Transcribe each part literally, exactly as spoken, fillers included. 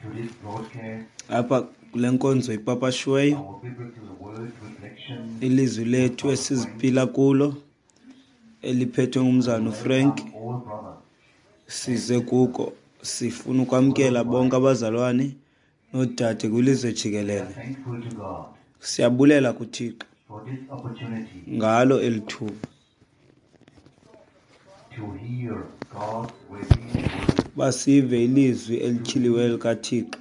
to this broadcast, Apha kule nkonzo ipapashiweyo, our biblical word reflection. Ilizwi lethu esiziphila kulo eliphethwe ngumzana uFrank, Welcome all brothers size kuko sifuna ukwamkela bonke abazalwane noodade kwilizwe jikelele. Thankful to God Siyabulela kuThixo for this opportunity ngalo eli thuba to hear God's revealed word basive ilizwi elityhiliweyo likaThixo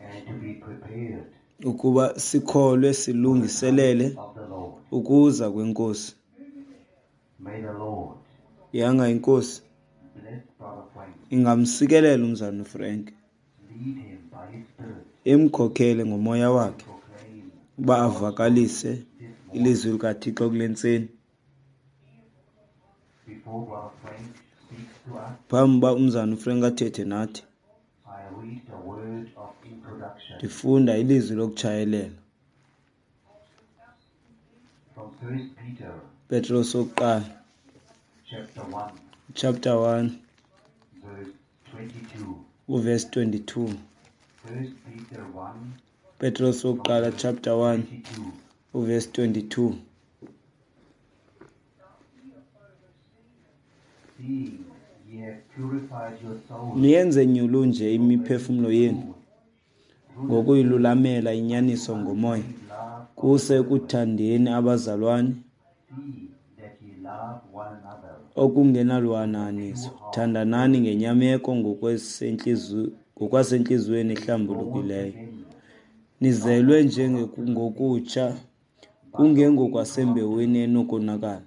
and to be prepared ukuba sikholwe silungiselele of the Lord. ukuza kwenkosi. May the Lord Yanga inkosi bless Brother Frank, ingamsikelela umzana uFrank, lead him by his Spirit, imkhokhele ngomoya wakhe proclaim uba avakalise this morning. ilizwi likaThixo kule ntseni. Before Brother Frank speaks to us, Phambi uba umzana uFrank athethe nathi, I read the word of introduction ndifunda ilizwi lokutshayelela. from First Peter Petros wokuqala, chapter one, chapter one, verse twenty-two. uverse twenty-two. First Peter one, Petros wokuqala chapter one, twenty-two. uverse twenty-two. Seeing ye have purified your souls Niyenze nyulu nje imiphefumlo yenu through the ngokuyilulamela inyaniso ngomoya, love, kuse ekuthandeni abazalwane see that ye love one another okungenalwananiso. Thandanani ngenyameko ngokwesentlizi-, ngokwasentliziyweni ehlambulukileyo. again, Nizelwe njengokutsha, kungengokwasembewini enokonakala,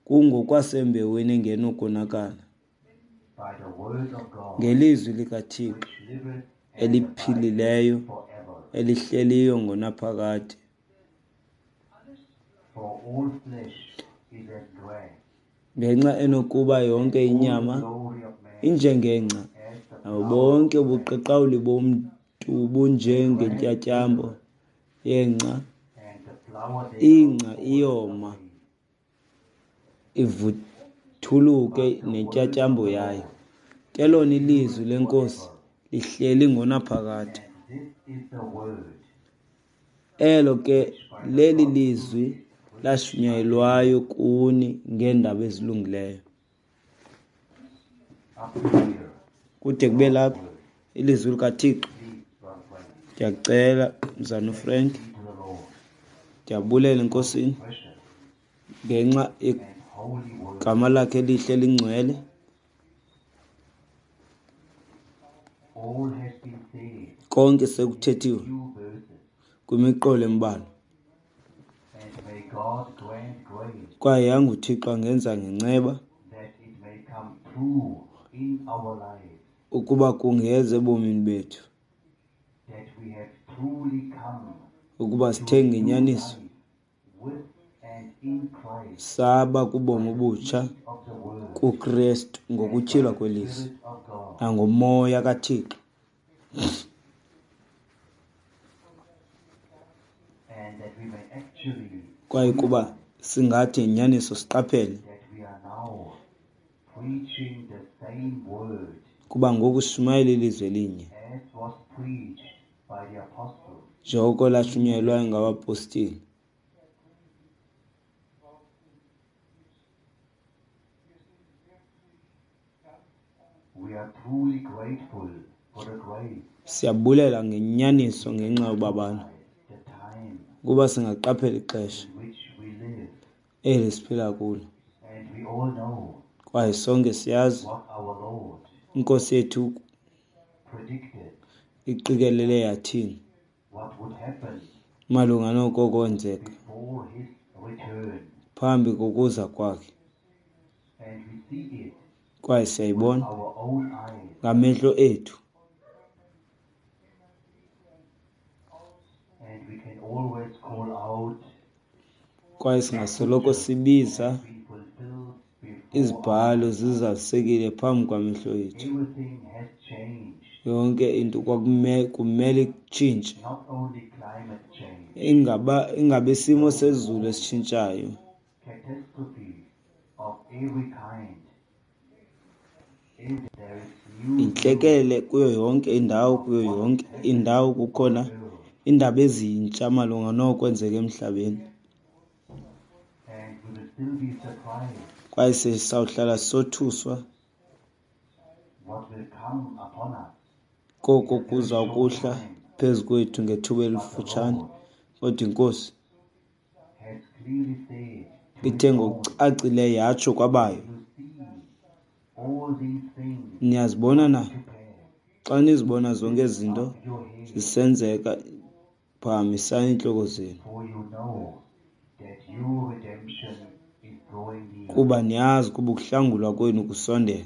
kungokwasembewini engenokonakala, by the word of God, ngelizwi likaThixo which liveth and eliphilileyo, abideth forever. elihleliyo ngonaphakade. For all flesh is as grass, Ngenxa enokuba yonke all the inyama glory of man injengengca, as the nabo flower bonke ubuqaqawuli bomntu bunjengentyatyambo yengca. and the flower thereof Ingca falleth iyoma, away. ivuthuluke nentyatyambo yayo. Ke lona ilizwi lenkosi lihleli ngonaphakade. And this is the word Elo ke leli lizwi lashunyayelwayo kuni ngeendaba ezilungileyo. Up to here. Kude kube lapha ilizwi likaThixo. Please, Brother Frank, Ndiyakucela mzana uFrank, to the Lord, ndiyabulela enkosini precious ngenxa and holy word. yegama lakhe elihle lingcwele. All has been said Konke sekuthethiwe few verses, kwimiqolo embalwa. and may God grant grace Kwaye yanga uThixo angenza ngenceba that it may come true in our lives, ukuba kungeze ebomini bethu, that we have truly come ukuba to sithe a new ngenyaniso life with and in Christ, saba kubomi obutsha seed of the word, kuKrestu ngokutyhilwa kwelizwi Spirit of God, nangomoya kaThixo, and that we may actually kwaye kuba singathi ngenyaniso siqaphele that we are now preaching the same word kuba ngoku sishumayela ilizwi elinye as was preached by the apostles. njengoko lashunyayelwayo ngabapostile. We are truly grateful for the grace, Siyabulela ngenyaniso ngenxa yobabalo the time ukuba singaqaphela ixesha in which we live, eli siphila kulo, and we all know kwaye sonke siyazi what our Lord inkosi yethu predicted iqikelele yathini what would happen malunga noko kwenzeka before his return, phambi kokuza kwakhe, and we see it kwaye with siyayibona our own eyes. ngamehlo ethu. And we can always call out Kwaye singasoloko sibiza been fulfilled before izibhalo zizalisekile phambi kwamehlo ethu. everything has changed. Yonke into kwakume kumele itshintshe, Not only climate change, ingaba ingabe isimo sezulu esitshintshayo, catastrophes of every kind. If there is Intlekele kuyo yonke indawo, kuyo yonke indawo kukhona iindaba ezintsha malunga nokwenzeka emhlabeni. And we will still be surprised Kwaye sisawuhlala sothuswa what will come upon us. Koko kuza kuhla phezu kwethu ngethuba elifutshane. Kodwa iNkosi Has clearly said to ithe his own, ngokucacileyo yatsho kwabayo, you see all these things niyazibona na? to pass. Xa nizibona zonke ezi zinto Up your head, zisenzeka, phakamisani iintloko zenu, for you know that your redemption is drawing near. Kuba niyazi ukuba ukuhlangulwa kwenu kusondele.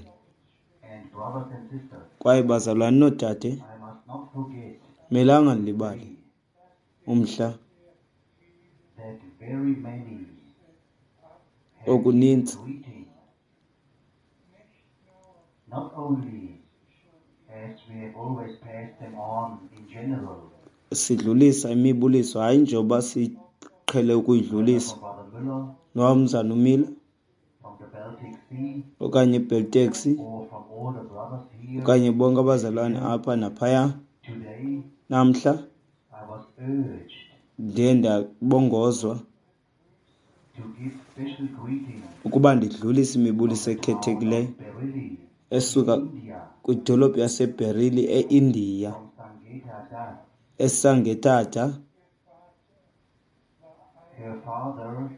And brothers and sisters, Kwaye bazalwane noodade, I must not forget melanga ndilibale umhla that very many have okuninzi greeting, not only as we have always passed them on in general, sidlulisa imibuliso, hayi njengoba siqhele ukuyidlulisa, from Brother Müller nomzana uMiller from the Baltic Sea okanye iBeltex or from all the brothers here okanye bonke abazalwane apha naphaya. Today. Namhla I was urged ndiye ndabongozwa to give special greetings ukuba ndidlulise imibuliso ekhethekileyo Bareilly, esuka India, kwidolophu yaseBareilly eIndiya, from Sangeeta Das. eSangetata. Her father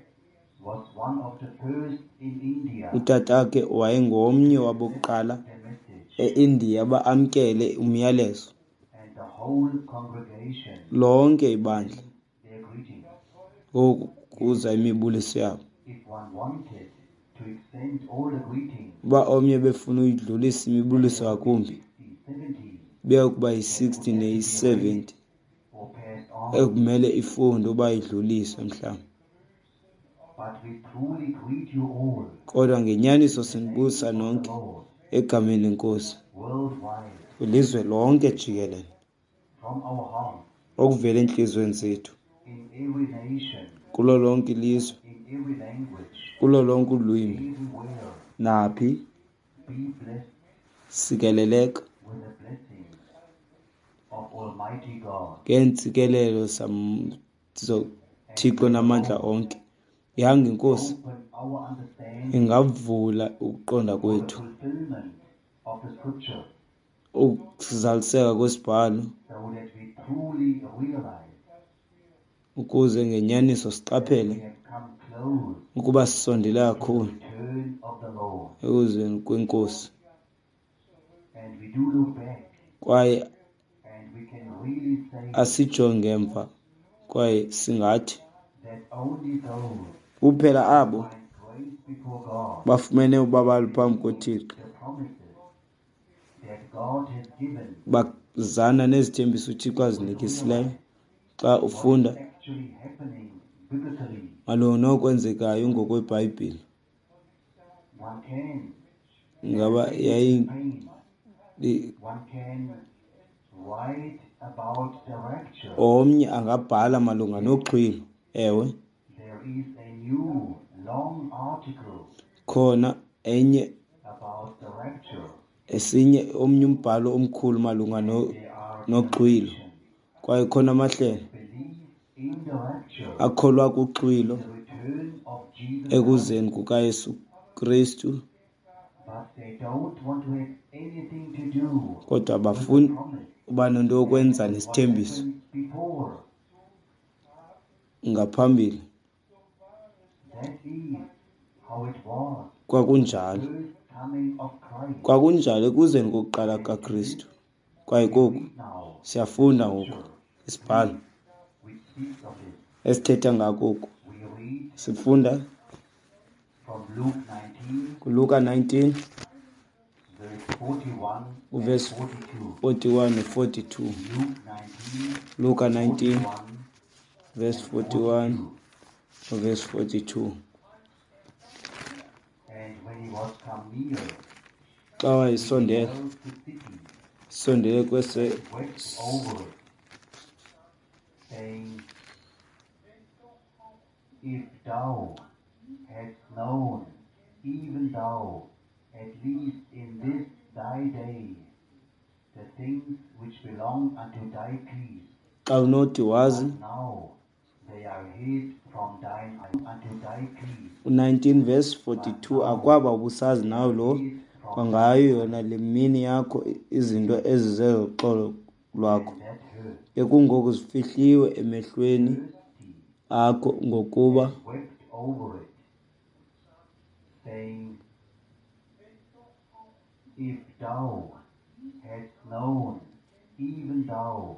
was one of the first in India Utatakhe wayengomnye wabokuqala the message, eIndiya ba amkele umyalezo, and the whole congregation lonke ibandla their greetings. Ngoku kuza imibuliso yabo. If one wanted to extend all the greetings, Uba omnye befuna uyidlulisa imibuliso ngakumbi, sixty, seventy, beyokuba yi-sixty neyi-seventy or passed on. Ekumele ifundwe uba idluliswe mhlawumbi. But we truly greet you all, Kodwa ngenyaniso sinibulisa the nonke Lord, egameni leNkosi worldwide, kwilizwe lonke jikelele, from our hearts, okuvela entliziyweni zethu, in every nation, kulo lonke ilizwe, in every language, kulo lonke ulwimi, everywhere. Naphi. Be blessed Sikeleleka with the blessings of Almighty God. Ngeentsikelelo zam- zoThixo namandla onke. Yanga iNkosi Open our understanding ingavula ukuqonda for the kwethu fulfillment of the scripture ukuzaliseka kwesibhalo, so that we truly realize ukuze ngenyaniso siqaphele we have come close ukuba sisondele to the kakhulu return of the Lord. Ekuzeni kweNkosi. And we do look back Kwaye and we can really say asijonge emva kwaye singathi that only those kuphela abo find grace before God, bafumene ubabalo phambi koThixo, the promises that God has given, bazana nezithembiso uThixo azinikisileyo, xa ufunda what is actually happening biblically, malunga nokwenzekayo ngokweBhayibhile, one can ngaba yayi pain, one can write about the rapture. Omnye angabhala malunga noxhwilo, ewe. There is a new long article Khona enye about the rapture. Esinye omnye umbhalo omkhulu malunga no There are noxhwilo, kwaye khona amahlelo believe in the rapture, akholwa kuxhwilo, the return of Jesus ekuzeni kukaYesu Kristu, but they don't want to have anything to do kodwa with the abafuni promise. Uba nento yokwenza What nesithembiso happened before. ngaphambili. That is how it was. Kwakunjalo. First coming of Christ. Kwakunjalo ekuzeni kokuqala kaKristu. Kwaye koku Read now, siyafunda ngoku isibhalo which speaks of it. Esithetha ngako oku. We read Sifunda from Luke nineteen, kuLuka nineteen, verse forty-one and verse forty-two. forty-one no forty-two. Luke nineteen, Luka nineteen, forty-one verse and forty-one forty-two. Verse forty-two. And when he was come near, Xa wayesondela, beheld the city, sondele kwese wept over it, saying, If thou hadst known, even thou, at least in this thy day the things which belong unto thy peace, Xa unothi wazi but now they are hid from thine eyes unto thy peace. U-nineteen verse forty-two, akwaba ubusazi nawe lo kwangayo yona le mini yakho izinto ezizezoxolo lwakho, And that hurt ke kungoku zifihliwe emehlweni thirsty akho, ngokuba and wept over it, saying, If thou hadst known, even thou,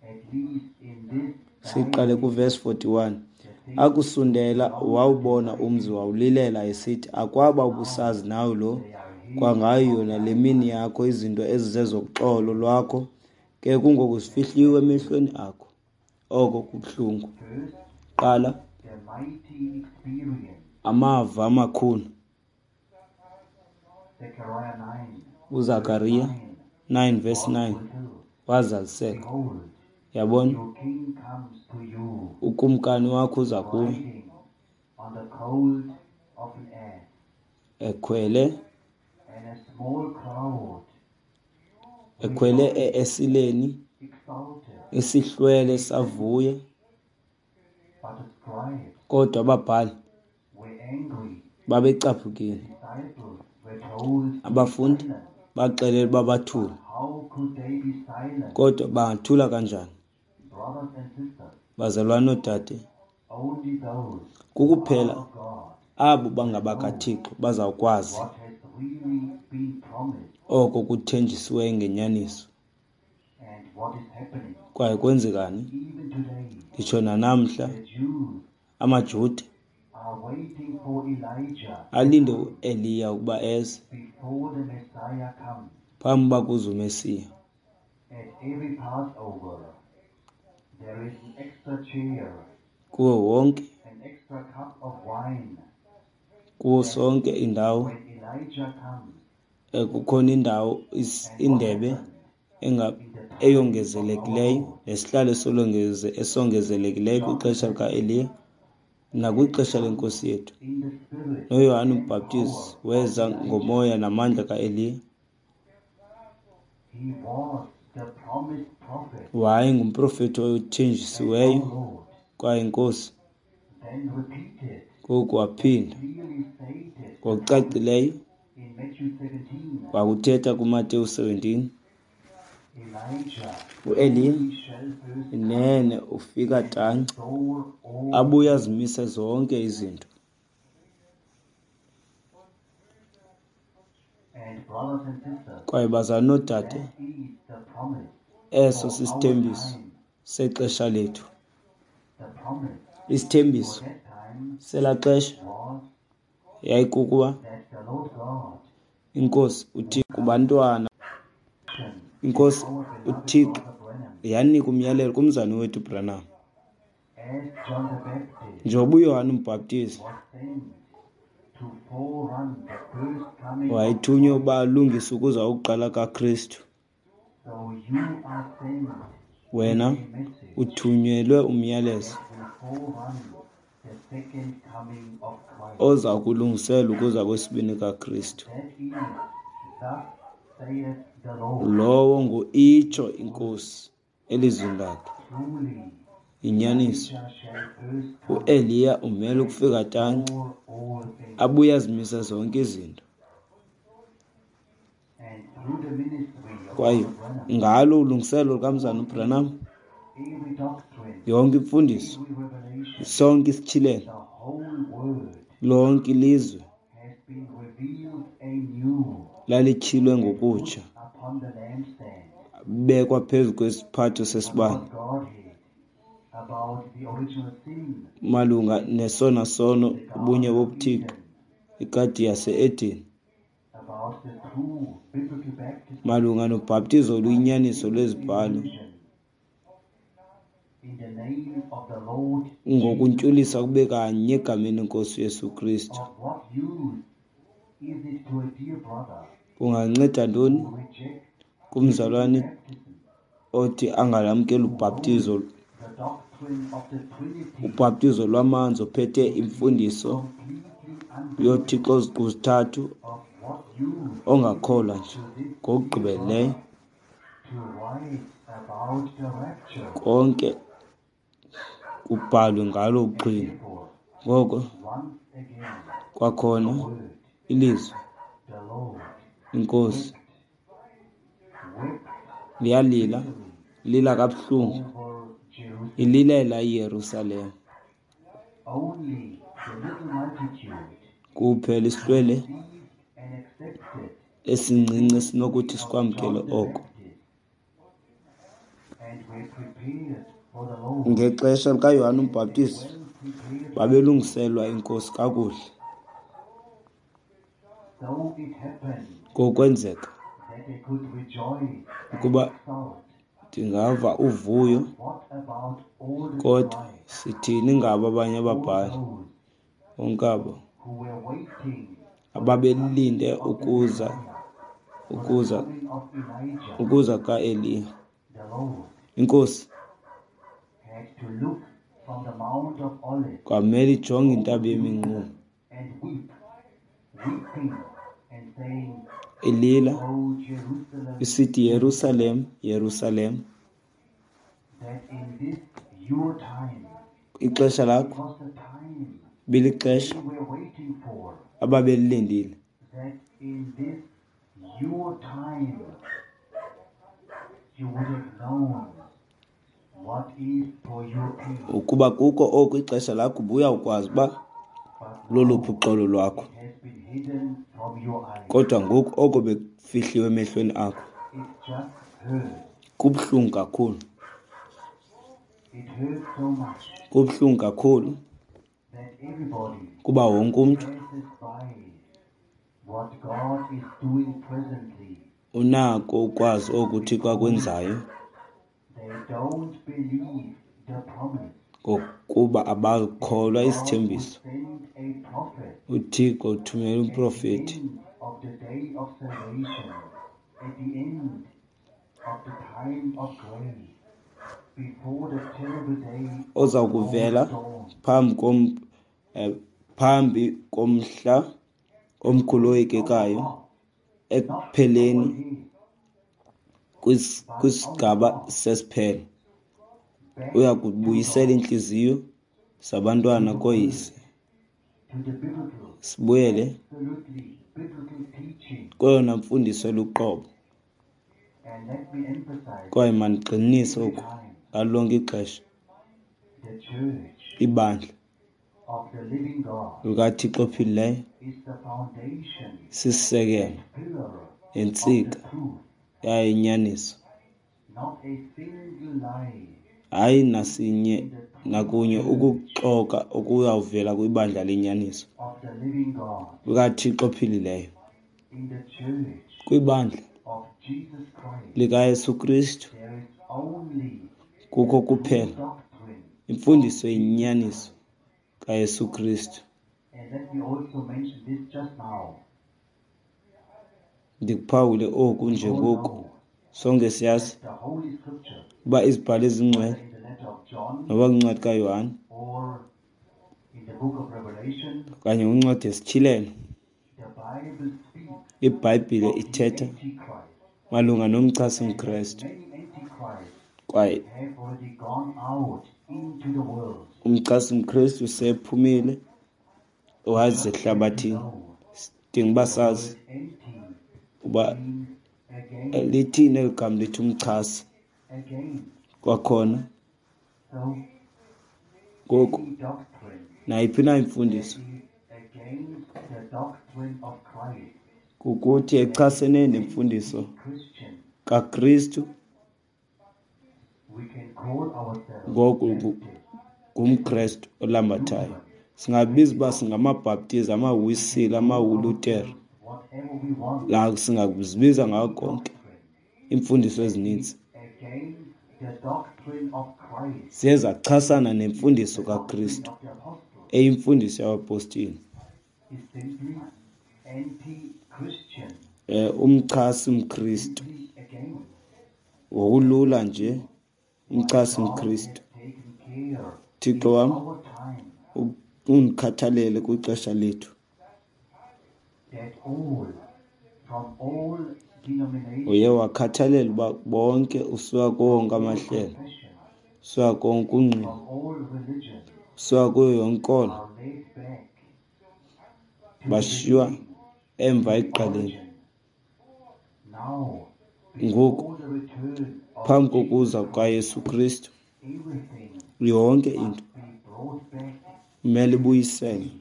at least in this thy siqale day, kuverse forty-one. the things Akusondela which belong wawubona unto thy umzi peace, wawulilela esithi, akwaba now ubusazi nawe lo they are hid kwangayo from yona le thine mini eyes. yakho izinto ezizezoxolo lwakho, ke kungoku zifihliwe emehlweni akho. Oko kubuhlungu. First, Qala the mighty experience, amava amakhulu. Zechariah nine, verse UZakariya nine, nine verse was nine fulfilled. wazaliseka. Behold, Yabona, your king comes to you, ukumkani wakho uza kuwe riding on the colt of an ass, ekhwele and a small crowd ekhwele rejoiced, e-esileni, exulted. isihlwele savuya, But the scribes kodwa ababhali were angry. babecaphukile. The disciples were told to be Abafundi silent. baxelelwa uba bathule, But how could they be silent? kodwa bangathula kanjani? Brothers and sisters, Bazalwane noodade, only those who are kukuphela of God abo will know bangabakaThixo bazawukwazi what has really been promised oko kuthenjisiweyo ngenyaniso. and what is happening. Kwaye kwenzekani? Even today, Nditsho nanamhla the Jews amaJuda are waiting for Elijah to alinde come uEliya ukuba eze before the Messiah comes. phambi uba kuze uMesiya. At every Passover, there is an extra chair, Kuwo wonke, an extra cup of wine, kuwo that sonke indawo when Elijah comes, eh, kukhona indawo is- and what indebe happened enga in the time of our eyongezelekileyo Lord, nesihlalo esolongeze- esongezelekileyo John the kwixesha Baptist likaEliya had nakwixesha come lenkosi yethu. in the spirit NoYohane and uMbhaptizi power of weza Elijah. ngomoya namandla kaEliya. He was the promised prophet, Wayengumprofethi and othenjisiweyo our Lord kwaye inkosi then repeated ngoku and waphinda clearly stated the promise ngokucacileyo in Matthew seventeen. wakuthetha kuMateyu seventeen. Elijah UEliya truly shall first come inene ufika and tanci restore all abuye things. azimise zonke izinto. And brothers and sisters, Kwaye bazalwane noodade, that is the promise eso for our sisithembiso time. sexesha lethu. The promise for Isithembiso that time selaa xesha was yayikukuba that the Lord God inkosi would uThixo kubantwana, action to inkosi our beloved uThixo brother Branham yanika umyalelo kumzane wethu Branham. as John the Baptist Njengoba uYohane uMbhaptizi was sent to forerun the first coming of wayethunywe Christ, uba alungise ukuza kokuqala kaKristu, so you are sent with wena a message uthunyelwe umyalezo that will forerun the second coming of Christ. oza kulungisela ukuza kwesibini kaKristu. That is, thus saith the Lord. Lowo ngu-itsho inkosi elizwini lakhe. Truly, Inyaniso, Elijah shall first come uEliya umele and ukufika tanci restore all things. abuye azimise zonke izinto. And through the ministry of Kwaye Brother Branham, ngalo ulungiselelo lukamzana all uBranham, things, every doctrine, yonke imfundiso, every revelation, sonke isityhilelo, the whole word lonke ilizwe has been revealed anew lalityhilwe and put ngokutsha, upon the lampstand bekwa phezu kwesiphatho sesibane about Godhead, about the original sin, malunga nesona sono the ubunye Garden of bobuThixo, Eden, igadi yase-Edeni, about the true biblical baptism malunga nobhaptizo by oluyinyaniso infant lwezibhalo immersion in the name of the Lord Jesus ngokuntshulisa Christ. kube kanye egameni lenkosi uYesu Kristu. Of what use is it to a dear brother Kunganceda ntoni who rejects biblical kumzalwane baptism, othi angalamkeli who holds ubhaptizo the doctrine of the Trinity ubhaptizo lwamanzi ophethe to be imfundiso completely yoThixo unbiblical? oziqu zithathu Of what Ongakholwa nje ngokugqibeleleyo konke kubhalwe ngalo uxhino. Ngoko kwakhona ilizwi inkosi liyalila, lila kabuhlungu, ililela iYerusalem. Kuphela isihlwele esincinci esinokuthi sikwamkele oko. Ngexesha likaYohane uMbhaptizi babelungiselwa inkosi kakuhle. Ngokwenzeka ukuba ndingava uvuyo, kodwa sithini ngabo abanye ababhali bonke abo ababelinde ukuza ukuza ukuza kaEliya? Inkosi kwamele ijonge intaba yeminquma ilila isithi, Yerusalem, Yerusalem, ixesha lakho bilixesha ababelilindile, ukuba kukho oku ixesha lakho ubuyawukwazi uba loluphi uxolo lwakho, kodwa ngoku oko bekufihliwe emehlweni akho. Kubuhlungu kakhulu, kubuhlungu kakhulu kuba wonke umntu unako ukwazi oku uThixo akwenzayo, ngokuba abakholwa isithembiso. UThixo uthumela umprofeti oza kuvela phambi kom eh, phambi komhla omkhulu oyikekayo ekupheleni kwisigaba sesiphelo. Uya kubuyisela iintliziyo zabantwana kooyise, sibuyele kweyona mfundiso eluqobo. Kwaye mandigxininise oku ngalo lonke ixesha, ibandla likaThixo ophilileyo sisisekelo nentsika yayo inyaniso. Hayi nasinye nakunye ukuxoka okuyawuvela kwibandla lenyaniso likaThixo ophilileyo, kwibandla likaYesu Kristu kukho kuphela imfundiso eyinyaniso kaYesu Kristu. Ndikuphawule oku njengoku sonke siyazi uba izibhalo ezingcwele noba kwincwadi kaYohane okanye kwincwadi yesiTyhilelo, iBhayibhile ithetha malunga nomchasi mKrestu, kwaye umchasi mKrestu sephumile waze ehlabathini. Sidinga uba sazi uba lithini eli gama lithi umchasi kwakhona. Ngoku nayiphi na imfundiso kukuthi echasene nemfundiso kaKristu, ngoku ngumKrestu olambathayo. Singabiza uba singamaBhaptizi, amaWisile, amaLutere, la singazibiza ngako konke iimfundiso ezininzi ziye zachasana nemfundiso kaKristu eyimfundiso yabapostile. Eh, umchasi mKristu ngokulula nje, umchasi mKristu. Thixo wam undikhathalele kwixesha lethu, Uye wakhathalela uba bonke usuka kuwo wonke amahlelo, usuka konke ungqina, usuka kuyo yonke inkolo, bashiywa emva ekuqaleni. Ngoku, phambi kokuza kukaYesu Kristu, yonke into kumele ibuyiselwe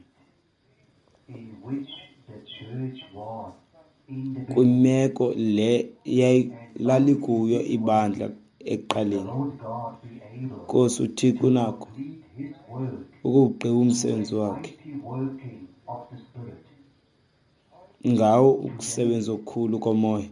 kwimeko le lalikuyo ibandla ekuqaleni. Nkosi uThixo unako ukuwugqiba umsebenzi wakhe ngawo ukusebenza okukhulu komoya.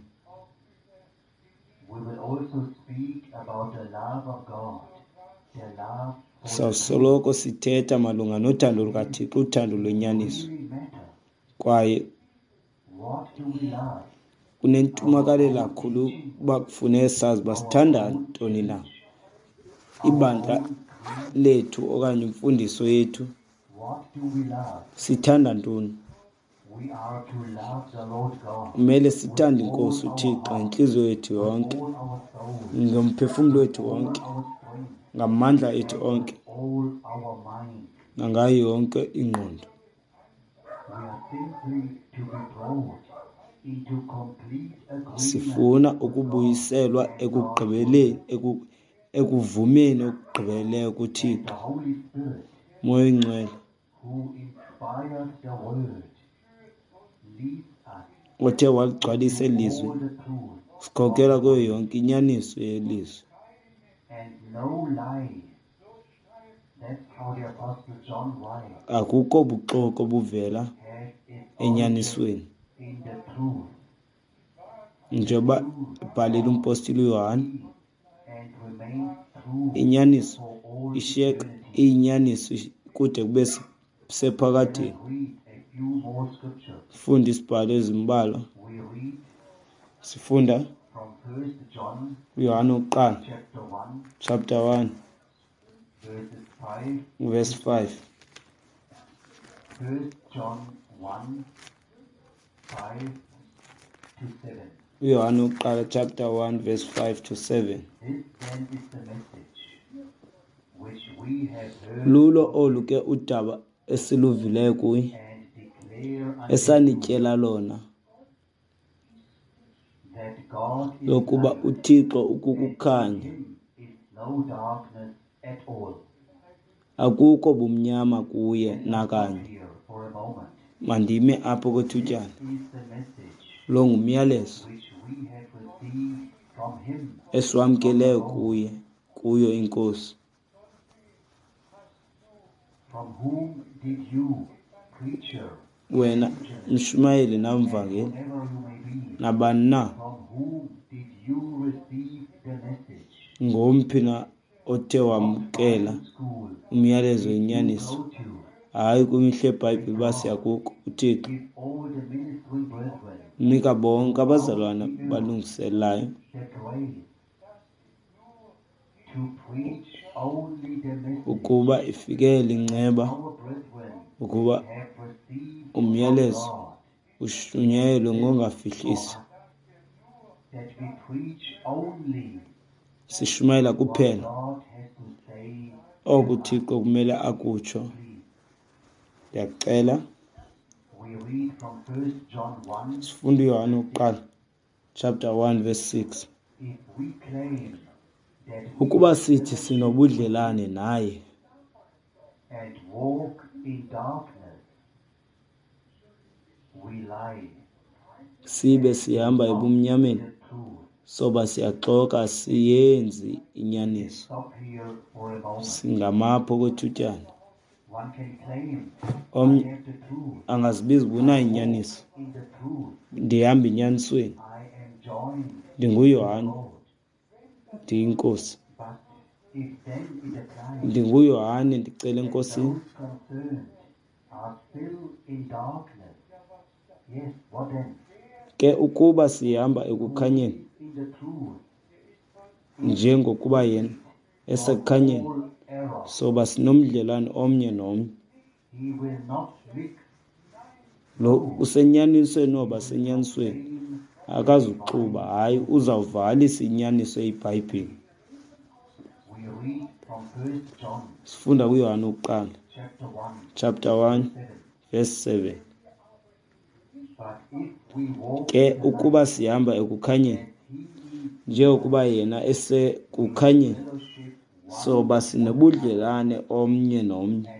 Sawusoloko sithetha malunga nothando lukaThixo, uthando lwenyaniso, kwaye kunentumakalelo kakhulu uba kufuneka sazi uba sithanda ntoni na. Ibandla lethu okanye imfundiso yethu, sithanda ntoni? Kumele sithande iNkosi uThixo ngentliziyo yethu yonke, ngomphefumlo wethu wonke, ngamandla ethu onke, nangayo yonke ingqondo. Sifuna ukubuyiselwa ekugqibeleni, ekuvumeni okugqibeleleyo kuThixo. Moya oyiNgcwele othe waligcwalisa eli lizwi, sikhokela kuyo yonke inyaniso yelizwi. Akukho buxoki obuvela enyanisweni. Njengoba ebhalile umpostile uYohane, inyaniso ishiyeka iyinyaniso kude kube sephakadeni. Funda isibhalo ezimbalwa. Sifunda uYohane wokuqala, chapter one, verse five. uYohane wokuqala, chapter one, verse five to seven. Lulo olu ke udaba esiluvileyo kuye, esanityela lona, lokuba uThixo ukukukhanya, akukho bumnyama kuye nakanye. Mandime apho kwethutyana. Lo ngumyalezo esiwamkeleyo kuye, kuyo iNkosi. Wena mshumayeli namvangeli, nabani na, ngomphi na othe wamkela umyalezo wenyaniso? Hayi kwimihla yeBhayibhile uba siyakuko uThixo nika bonke abazalwana balungiselayo ukuba ifikele inceba, ukuba umyalezo ushunyayelwe ngongafihlisi. Sishumayela kuphela oku uThixo kumele akutsho. Ndiyacela sifunda uYohane wokuqala, chapter one, verse six. Ukuba sithi sinobudlelane naye sibe sihamba ebumnyameni, soba siyaxoka, asiyenzi inyaniso. Singamapho kwethutyana. Omnye angazibiza uba unayo inyaniso. Ndihamba enyanisweni. NdinguYohane, ndiyinkosi. NdinguYohane, ndicela eNkosini. Ke ukuba sihamba ekukhanyeni, njengokuba yena esekukhanyeni, soba sinomdlelane omnye nomnye. Lo usenyanisweni noba senyanisweni akazuxuba, hayi, uzawuvakalisa inyaniso eyiBhayibhile. Sifunda kuYohane wokuqala chapter one verse seven. Ke ukuba sihamba ekukhanyeni njengokuba yena esekukhanyeni, soba sinobudlelane omnye nomnye.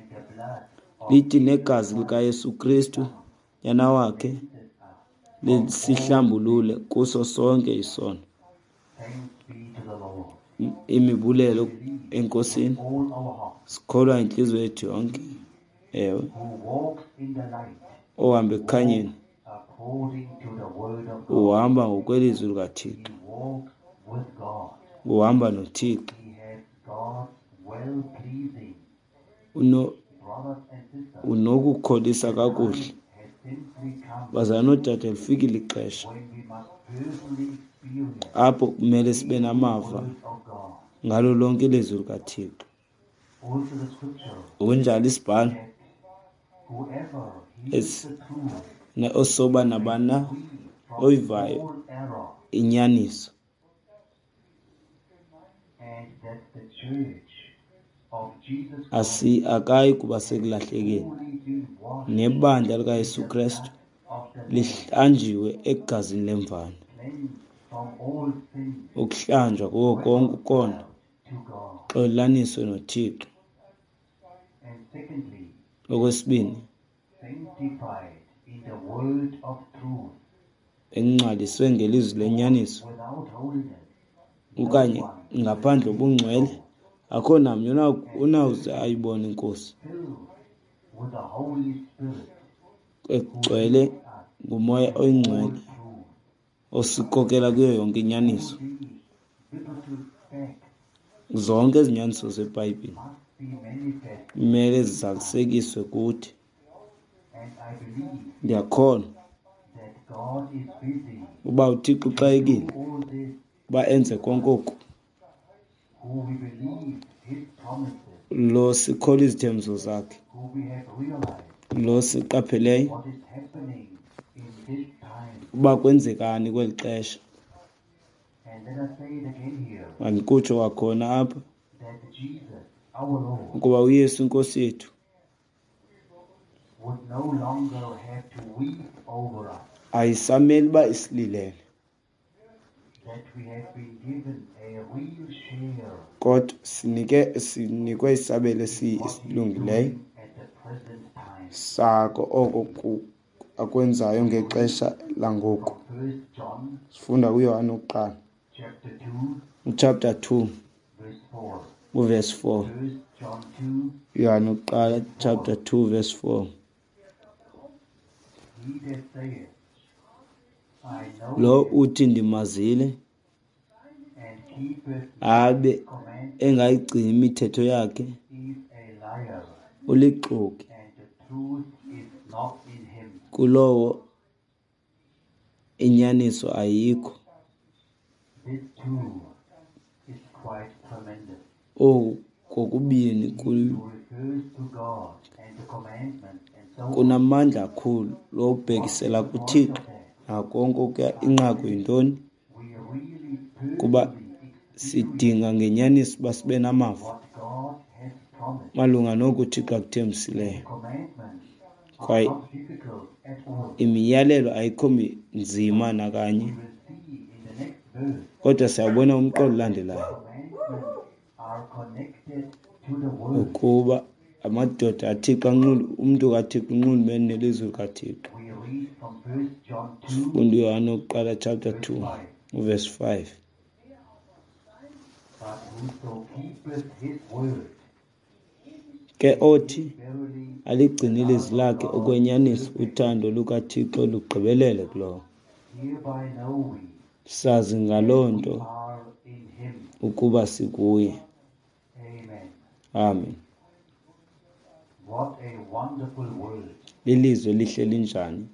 Lithi negazi likaYesu Kristu nyana wakhe lisihlambulule kuso sonke isono. Imibulelo eNkosini, sikholwa intliziyo yethu yonke. Ewe, ohamba ekukhanyeni uhamba ngokwelizwi likaThixo, uhamba noThixo. Uno unokukholisa kakuhle. Bazalwana noodade, lifikile ixesha apho kumele sibe namava ngalo lonke ilizwi likaThixo. Ngokunjalo isibhalo osoba nabana oyivayo inyaniso asi akayi kuba sekulahlekeni, nebandla likaYesu Kristu lihlanjiwe egazini lemvana, ukuhlanjwa kuko konke ukona, xolelaniswe noThixo. Okwesibini, engcwaliswe ngelizwi lenyaniso, okanye ngaphandle kobungcwele akho namnye unawuze ayibone iNkosi. Egcwele nguMoya oyiNgcwele osikhokela kuyo yonke inyaniso. Zonke izinyaniso zeBhayibhile kumele zizalisekiswe kuthi. Ndiyakholwa uba uThixo uxakekile uba enze konke oku. Lo sikholwa izithembiso zakhe, lo siqapheleyo uba kwenzekani kweli xesha. Mandikutsho kwakhona apha ukuba uYesu iNkosi yethu ayisameli uba isililele, kodwa sinike sinikwe isabelo esilungileyo sako oko akwenzayo ngexesha langoku. Sifunda kuYohane wokuqala uchapter two uverse four. Yohane wokuqala chapter two verse four. Lo uthi ndimazile abe engayigcini imithetho yakhe ulixoki, kulowo inyaniso ayikho. Oku kokubini kunamandla kakhulu. Lo ubhekisela kuThixo nakonke okuya. Inqaku yintoni? Kuba sidinga ngenyaniso uba sibe namava malunga noku uThixo akuthembisileyo. Kwaye imiyalelo ayikho nzima nakanye, kodwa siyawubona umqolo olandelayo ukuba amadoda aThixo anxulu, umntu kaThixo unxulumene nelizwi likaThixo. Sifunda uYohane wokuqala chapter two verse five. Ke othi aligcine ilizwi lakhe okwenyaniso, uthando lukaThixo lugqibelele kulowo. Sazi ngaloo nto ukuba sikuye. Amen. Lilizwi elihle linjani?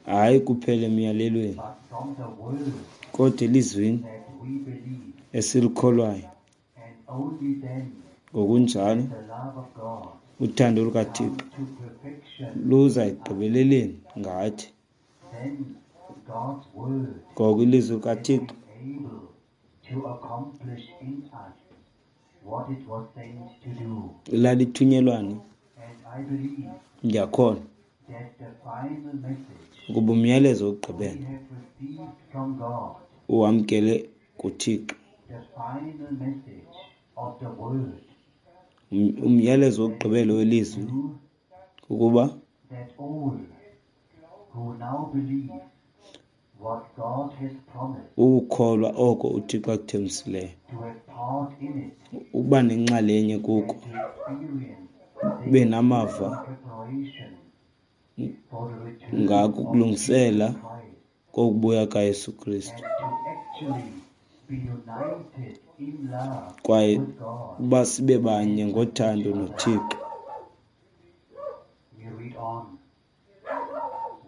Hayi kuphela emyalelweni, kodwa elizwini esilikholwayo. Ngokunjalo Uthando come lukaThixo to perfection. Luza ekugqibeleleni ngathi. Then God's word Ngoko ilizwi has likaThixo been able to accomplish in us what it was sent to do. Lalithunyelwani. And I believe Ndiyakholwa that the final message ukuba umyalezo we wokugqibela have received from God, uwamkele kuThixo, the final message of the word, um- umyalezo wokugqibela welizwi do kukuba that all who now believe what God has promised ukukholwa oko uThixo akuthembisileyo, to have part in it ukuba nenxalenye kuko, and to experience ube namava preparation for the return ngako of ukulungisela Jesus Christ kokubuya kaYesu Kristu, and to actually be united in love kwaye with God. uba sibe banye ngothando noThixo. We read on.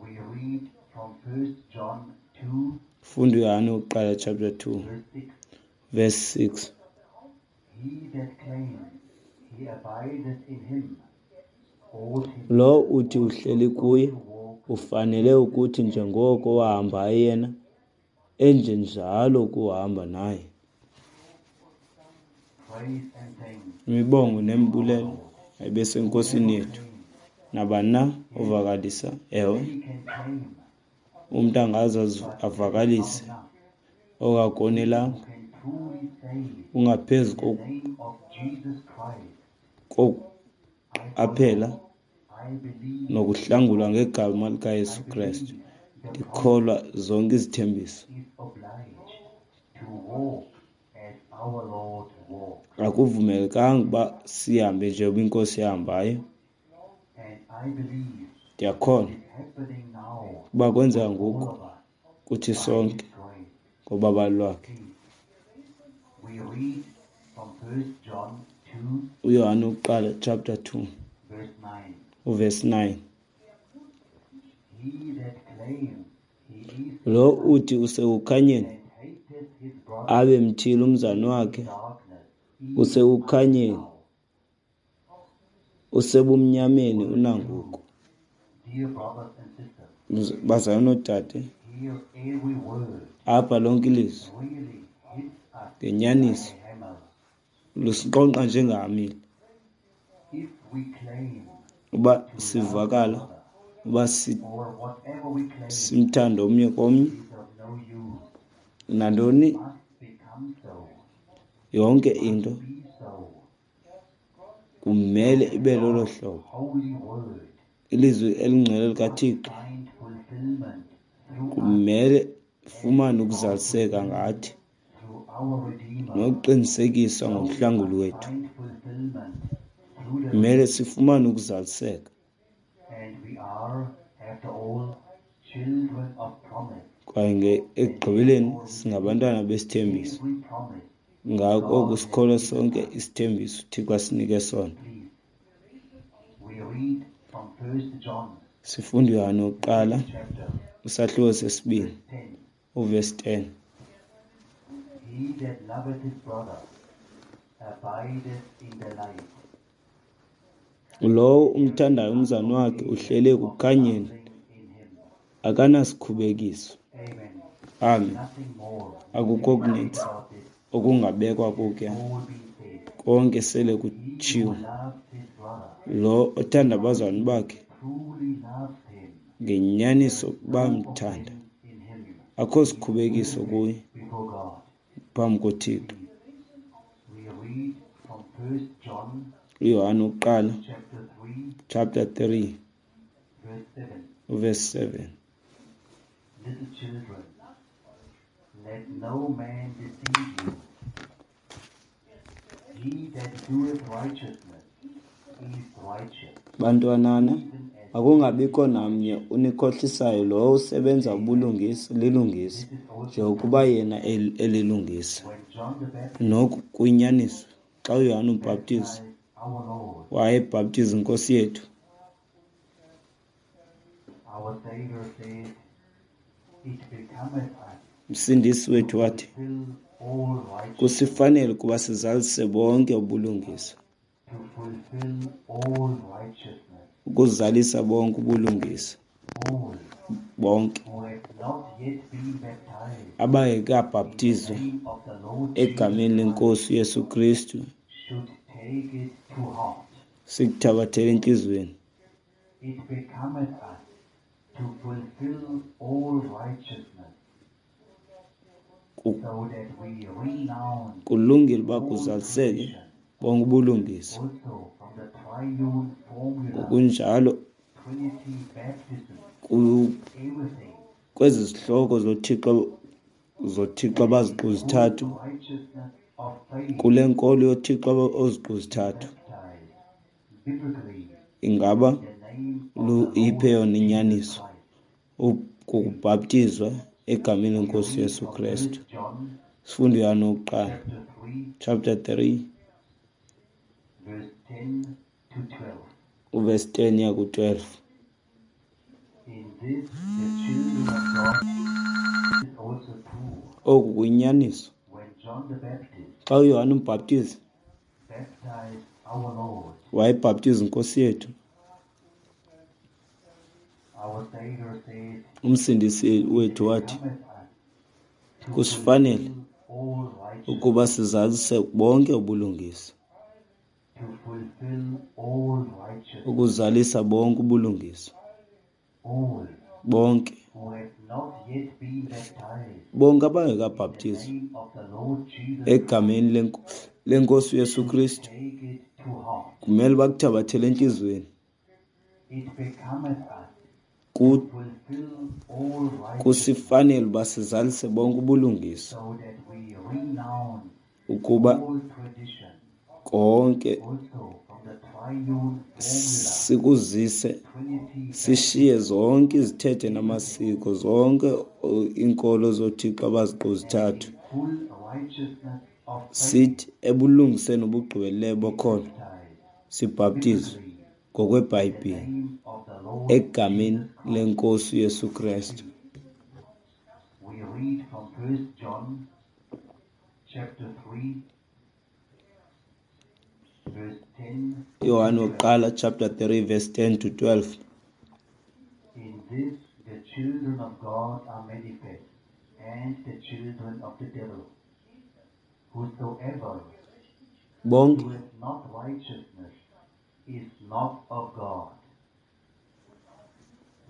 We read from First John two, Funda uYohane wokuqala chapter two verse six. Verse six. He that claims he abideth in him ought himself Lo uthi uhleli kuye to walk ufanele ukuthi njengoko wahambayo yena, enjenjalo ukuhamba naye. Praise and thanks Imibongo nembulelo ayibe seNkosini yethu. Nabani na ovakalisa, ewe, He can claim, umntu angaze azi- avakalise enough okakonelanga, who can truly say ungaphezu in the name of Jesus Christ, kokuqaphela I believe nokuhlangulwa ngegama likaYesu Kristu. Ndikholwa zonke izithembiso. is obliged to walk as our Lord walked. Akuvumelekanga uba sihambe njengoba iNkosi yahambayo. And I believe Ndiyakholwa it's happening now uba kwenzeka all ngoku of us kuthi by sonke His grace. ngobabalo lwakhe. Please, we read from First John two, uYohane wokuqala chapter two verse nine. uverse nine. He that claims he is Lo uthi usekukhanyeni and hateth his brother abe mthile umzalwane wakhe in darkness, even usekukhanyeni, now. usebumnyameni unangoku. Dear brothers and sisters, Bazalwane noodade, hear every word apha lonke ilizwi really hits us ngenyaniso like a hammer. lusiqonqa njengehamile. If we claim Uba to love sivakala another, uba si- or whatever we claim simthanda omnye komnye, is of no use, nantoni must become so, yonke into be so. Kumele ibe lolo hlobo. Holy word Ilizwi elingcwele likaThixo find fulfillment through us, kumele fumane ukuzaliseka ngathi through our Redeemer. Nokuqinisekiswa ngomhlanguli wethu. Find fulfillment through the Kumele sifumane ukuzaliseka. And we are, after all, children of promise. Kwaye nge ekugqibeleni singabantwana besithembiso. Every promise, Ngako oko sikholwa sonke isithembiso uThixo asinike sona. please. We read from First John Sifunda uYohane wokuqala chapter isahluko sesibini verse ten. uverse ten. He that loveth his brother abideth in the light. Lowo umthandayo umzalwane wakhe uhleli ekukhanyeni, Nothing in him. akanasikhubekiso. Amen. Amen. Nothing more Akukho kuninzi about this. okungabekwa kuke. All been said. Konke sele He who kutshiwo. loves his brother Lo othanda abazalwane bakhe truly loves him. ngenyaniso No bamthanda, offense in him akho sikhubekiso kuye before God. phambi koThixo. We read from First John uYohane wokuqala chapter three, chapter three verse seven. uverse seven. Little children, let no man deceive you. He that doeth righteousness is righteous, Bantwanana, even as akungabikho namnye unikhohlisayo. Lowo usebenza ubulungisa lilungisa, this is also njengokuba yena el- elilungisa. when John the Baptist Noku kuyinyaniso. Xa uYohane umbhaptizi baptized our Lord, wayebhaptiza iNkosi yethu, our Savior said, "It becometh us uMsindisi wethu wathi, fulfill all righteousness, kusifanele ukuba sizalise bonke ubulungisa, to fulfill all righteousness, ukuzalisa bonke ubulungisa, all bonke who have not yet been baptized in abangekabhaptizwa the name of the Lord Jesus egameni Christ lenkosi uYesu Kristu should take it to heart. sikuthabathele entliziyweni. It becometh us to fulfill all righteousness, Ku- so that we renounce Kulungile uba all kuzaliseke tradition, bonke ubulungisa. also from the triune formula, Ngokunjalo Trinity baptism, ku- everything, kwezi zihloko zoThixo zoThixo abaziqu full zithathu, righteousness of faith, kule nkolo yoThixo oziqu zithathu, baptized biblically ingaba in the name of lu the iphe Lord yona Jesus inyaniso Christ. kukubhaptizwa egameni We lenkosi read Yesu from Kristu. First John Sifunde uYohane wokuqala chapter three, chapter three verse ten to twelve. uverse ten ya ku-twelve. In this the children of God is also true. Oku kuyinyaniso. When John the Baptist Xa uYohane umbhaptizi baptized our Lord, wayebhaptiza inkosi yethu, our Savior said, umsindisi It wethu wathi becometh us to kusifanele fulfill all righteousness, ukuba sizalise bonke ubulungisa, to fulfill all righteousness, ukuzalisa bonke ubulungisa, all bonke who have not yet been baptized bonke in the abangekabhaptizwa name of the Lord Jesus egameni lenko- lenkosi uYesu should Kristu take it to heart. kumele bakuthabathele entliziyweni. It becometh us Ku- to fulfill all righteousness, Kusifanele uba sizalise bonke ubulungisa, so that we renounce ukuba all tradition, konke also from the triune formula, sikuzise Trinity sishiye zonke izithethe namasiko, zonke o- iinkolo zoThixo abaziqu zithathu, and in full righteousness of faith sithi ebulungiseni obugqibeleleyo bokholo baptized sibhaptizwe biblically in the ngokwebhayibhile name of the Lord egameni Jesus Christ. lenkosi uYesu Kristu. We read from First John chapter three, verse ten to Yohane twelve. wokuqala chapter three verse ten to twelve. In this the children of God are manifest, and the children of the devil. Whosoever Bonke doeth not righteousness is not of God,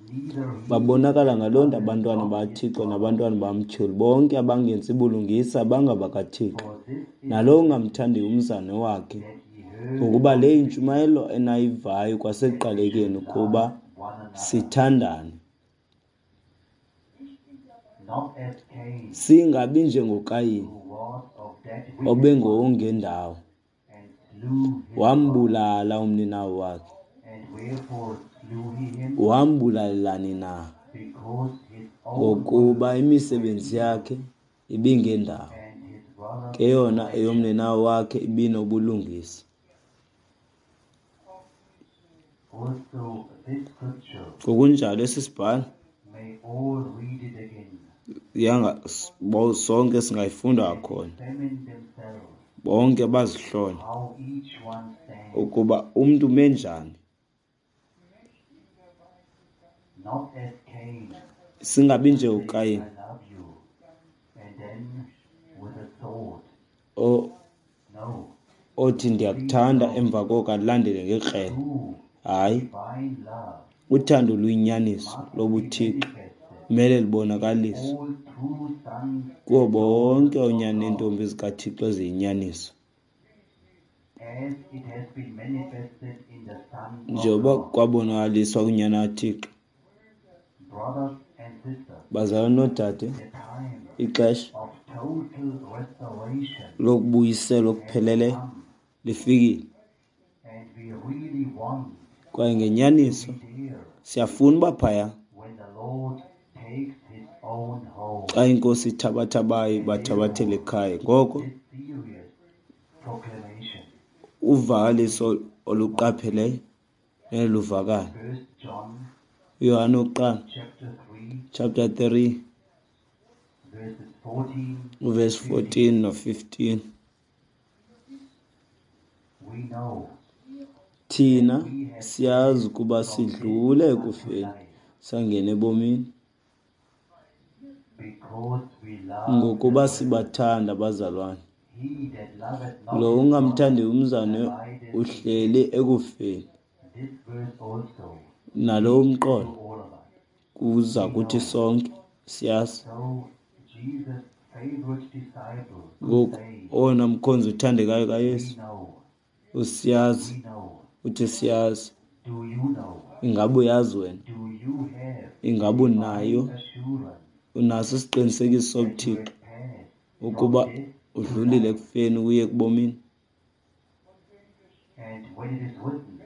neither he babonakala that ngaloo nto loveth abantwana not his bakaThixo brother. nabantwana bamtyholi, bonke abangenzi bulungisa bangabakaThixo, For this is nalowo the ungamthandiyo umzane wakhe. that ye heard Ngokuba of le the yintshumayelo beginning, enayivayo that ye kwasekuqalekeni, should ukuba love one another, sithandane, not as Cain, singabi njengoKayini who was of that wicked one, obengowangendawo, and slew his brother. wambulala umninawe wakhe. And wherefore slew he him? Wambulalelani na? Because his own Ngokuba works were imisebenzi evil, yakhe ibingendawo, and his brother's ke yona righteous. eyomninawe wakhe ibinobulungisa. Also this scripture, Ngokunjalo esi sibhalo may all read it again, yanga bo- sonke singayifunda and kwakhona, examine themselves bonke bazihlole how each one stands, ukuba umntu ume njani, not as Cain, singabi who said, njengokayini I love you, and then with a sword. o- No, othi please ndiyakuthanda note, emva koko alandele ngekrele. true Hayi, divine love uthando luyinyaniso must be lobuthixo manifested kumele in libonakaliswe all true sons kuwo and bonke daughters of oonyana God, neentombi zikaThixo eziyinyaniso, as it has been manifested in the Son of njengoba God. kwabonakaliswa kunyana kaThixo. Brothers and sisters, Bazalwane noodade, the time ixesha of total restoration lokubuyiselwa has okupheleleyo come, lifikile, and we really want kwaye to ngenyaniso be there siyafuna uba phaya when the Lord takes his own home. xa inkosi ithabatha abayo And bathabathele therefore, ekhaya. Ngoko this serious proclamation, uvakaliso oluqapheleyo neluvakala. First John uYohane wokuqala chapter three, chapter three verses fourteen uverse to fifteen. fourteen no fifteen. We know Thina we have siyazi passed ukuba from sidlule death unto ekufeni life, sangena ebomini because we love the ngokuba brethren. sibathanda abazalwane. He that loveth not Lo his brother ungamthandiyo umzalwane abideth in uhleli death. ekufeni. This verse also Nalo speaks to umqolo all of us. kuza We kuthi know. sonke siyazi. So Jesus' favorite disciple could Ngoku say, owona mkhonzi uthandekayo We kaYesu know, usiyazi we know. uthi siyazi. Do you know? Ingaba uyazi wena? Do you have Ingaba divine unayo? assurance Unaso isiqinisekiso that you sobuThixo have passed from ukuba death to udlulile life? ekufeni uye ekubomini? And when it is written,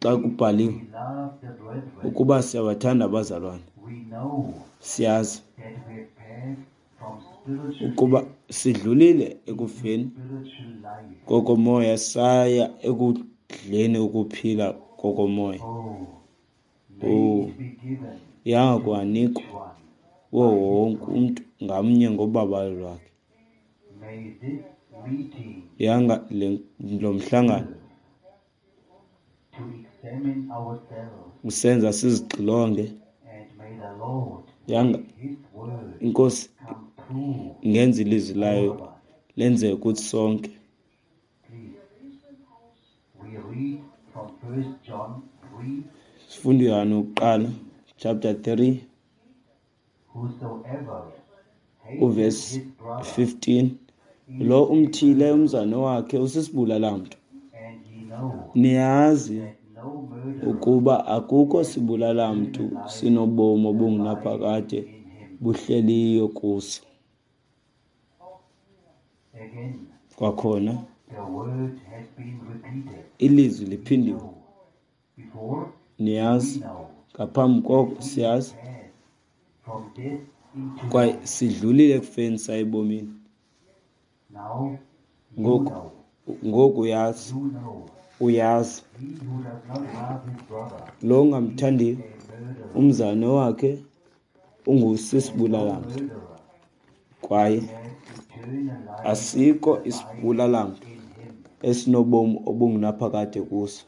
Xa if kubhaliwe we love the brethren, ukuba siyabathanda abazalwane, we know siyazi that we have passed from spiritual ukuba death sidlulile into ekufeni spiritual life. kokomoya saya ekudleni ukuphila kokomoya. Oh, may Oh, it be given yanga to kwanikwa each one kuwo by his wonke grace. umntu ngamnye ngobabalo lwakhe. May this meeting Yanga le lo mhlangano serve to examine ourselves, usenza sizixilonge. and may the Lord Yanga make his word inkosi come true ingenza ilizwi to all layo of us. lenzeke kuthi sonke. Please, we read from First John three Sifunde uYohane wokuqala eighteen. chapter three Whosoever hateth uverse his brother fifteen. is Lo a umthile murderer, umzalwane wakhe usisibulala-mntu. and ye know Niyazi that no murderer ukuba akukho hath sibulala-mntu eternal life sinobomi abideth obungunaphakade in him. buhleliyo kuso. Again, Kwakhona the word has been repeated. ilizwi We liphindiwe. know. Before, we Niyazi know ngaphambi that koko we have siyazi passed from death into kwaye life. sidlulile ekufeni saya ebomini. Now you Ngoku know. ngoku uyazi You know. uyazi He who does not love his brother lo is ungamthandiyo a murderer, umzalwane wakhe and no ungusisibulala-mntu murderer kwaye has eternal life asikho abideth isibulala-mntu in him. esinobomi obungunaphakade kuso.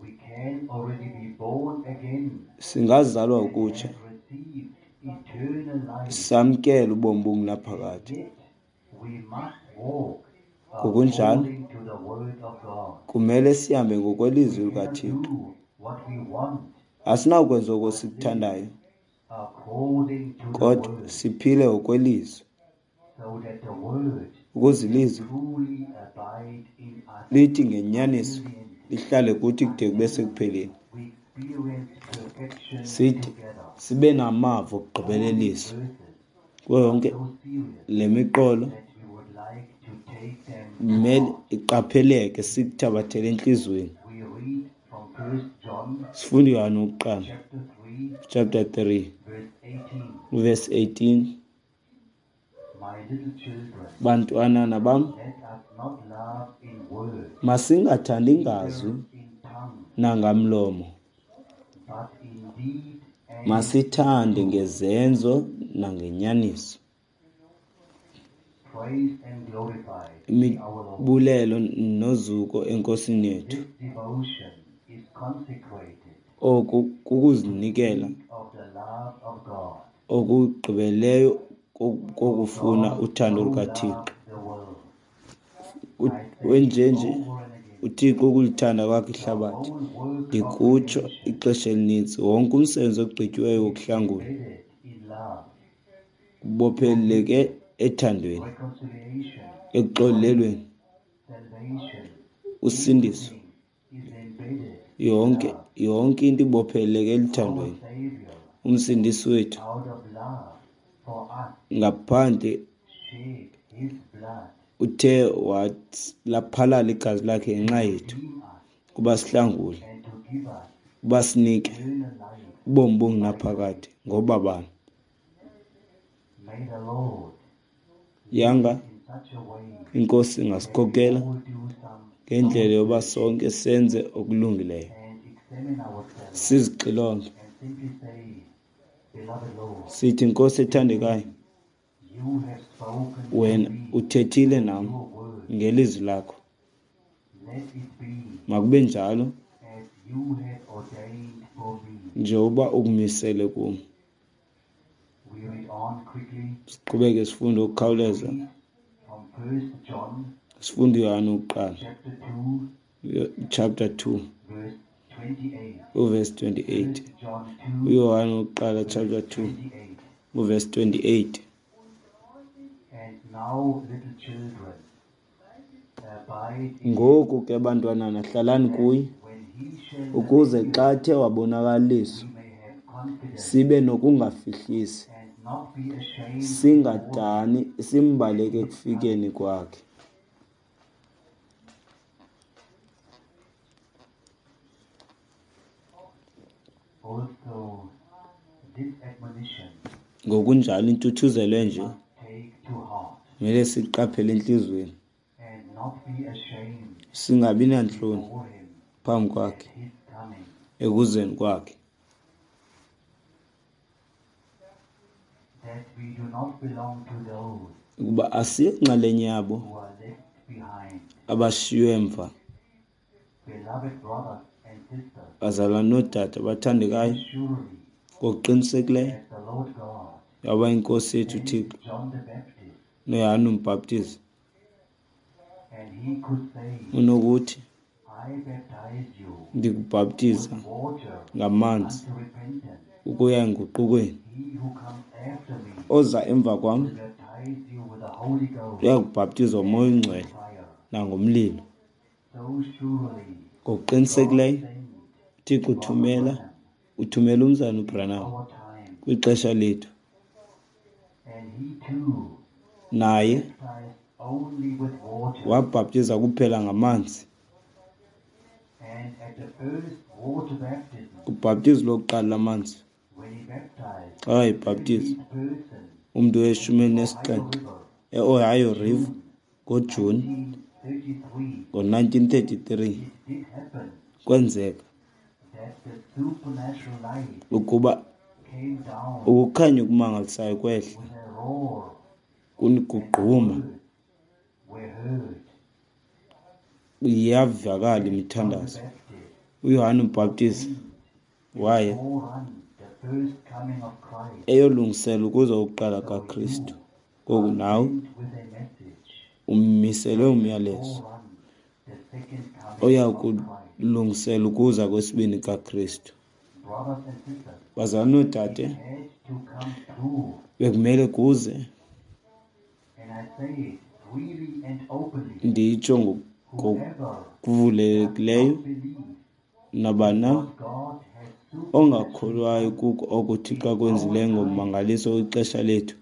We can already be born again Singazalwa and ukutsha have received eternal life, samkele ubomi and obungunaphakade. yet we must walk Ngokunjalo according to the word of God. kumele sihambe ngokwelizwi We cannot likaThixo. do what we want, Asinakwenza oko but live sikuthandayo according to the kodwa word, siphile ngokwelizwi so that the word ukuze can ilizwi truly abide in us lithi until ngenyaniso the end, lihlale kuthi kude kube until sekupheleni. we experience perfection Sithi together. sibe namava All these okugqibelelisa verses kuyo are yonke so serious le miqolo that we would like to take them to kumele heart. iqapheleke sikuthabathele entliziyweni. We read from First John Sifunde uYohane wokuqala chapter three, chapter three verse eighteen. verse eighteen. My little children, Bantwanana bam, let us not love in word, masingathandi neither ngazwi in tongue, nangamlomo, but in deed and masithande truth. ngezenzo nangenyaniso. Praise and glorified be our Lord. Imibulelo nozuko eNkosini yethu. This devotion is consecrated Oku to kukuzinikela speak of the love of God. okugqibeleyo For kokufuna God uthando so lukaThixo. loved the world. U- I say it Wenjenje over and again. uThixo ukulithanda kwakhe The ihlabathi. whole work of Ndikutsho redemption ixesha elininzi, wonke umsebenzi ogqityiweyo is wokuhlangula embedded in love, ubopheleleke forgiveness, ethandweni, reconciliation, ekuxolelweni, salvation. usindiso. Everything is embedded in Yonke love. yonke into ibopheleleke Our eluthandweni. Savior, Umsindisi wethu out of love for us, ngaphandle shed his blood uthe laphalala igazi lakhe ngenxa to yethu redeem us kuba sihlangule, and to give us kuba sinike eternal life ubomi by obungunaphakade ngoba bani. May the Lord lead Yanga us in such a way inkosi that we ingasikhokela all do some ngendlela soul yoba searching sonke senze okulungileyo, and examine ourselves sizixilonge and simply say, Beloved Lord, sithi, Nkosi ethandekayo, today you have spoken to wena me uthethile through nam your word. ngelizwi lakho. Let it be Makube njalo as you have ordained for me. Njengoba ukumisele kum. We read on quickly. Siqhubeke sifunde ukukhawuleza. Read from First John Sifunde uYohane wokuqala, chapter two, chapter two, verse twenty-eight. uverse twenty-eight. First John two, uYohane wokuqala verse chapter two, twenty-eight. uverse twenty-eight. And now, little children, abide in him, Ngoku ke bantwanana hlalani that kuye, when he shall ukuze appear, xa athe wabonakaliswa we may have confidence sibe nokungafihlisi, and not be ashamed before him singadani simbaleke at his ekufikeni coming. kwakhe. Also, this admonition Ngokunjalo intuthuzelo we enje must take to heart kumele siqaphele entliziyweni, and not be ashamed singabi nantloni before him phambi at kwakhe his coming. ekuzeni kwakhe, That we do not belong to those ukuba asiyonxalenye yabo who are left behind. abashiywe emva. Beloved brothers and sisters, Bazalwane noodade abathandekayo, as surely ngokuqinisekileyo as the Lord God yaba inkosi yethu sent uThixo John the Baptist, noYohane umbhaptizi and he could say, unokuthi, I baptize you ndikubhaptiza with water ngamanzi unto repentance. ukuya enguqukweni. He who comes after me Oza emva kwam will baptize you with the Holy Ghost uyakubhaptizwa ngoMoya and with oyiNgcwele fire. nangomlilo. So surely God Ngokuqinisekileyo sent uThixo Brother uthumela Branham uthumela umzana in uBranham our time, kwixesha lethu, and he too naye baptized only with water. wabhaptiza kuphela ngamanzi. And at the first water baptism, Kubhaptizo lokuqala lamanzi, when he baptized xa wayebhaptiza seventeenth person umntu weshumi at the Ohio elinesixhenxe River, eOhio River June ngoJuni nineteen thirty-three, ngo-nineteen thirty-three, it did happen kwenzeka that the supernatural light ukuba came down ukukhanya okumangalisayo kwehla with a roar, and the kugquma, words were heard. iyavakala That John the imithandazo. Baptist uYohane umbhaptizi ordained to waye forerun the first coming of Christ. eyolungisela ukuza kokuqala So kaKristu. you Ngoku are nawe sent with a message umiselwe that will umyalezo forerun the second coming oya of Christ. kulungisela ukuza kwesibini kaKristu. Brothers and sisters, Bazalwane it noodade, had to come true, bekumele kuze, and I say it freely and openly. nditsho Whoever does ngokuvulekileyo, not believe nabani na what God has supernaturally ongakholwayo done kuko oko uThixo in our akwenzileyo time, ngommangaliso wexesha lethu.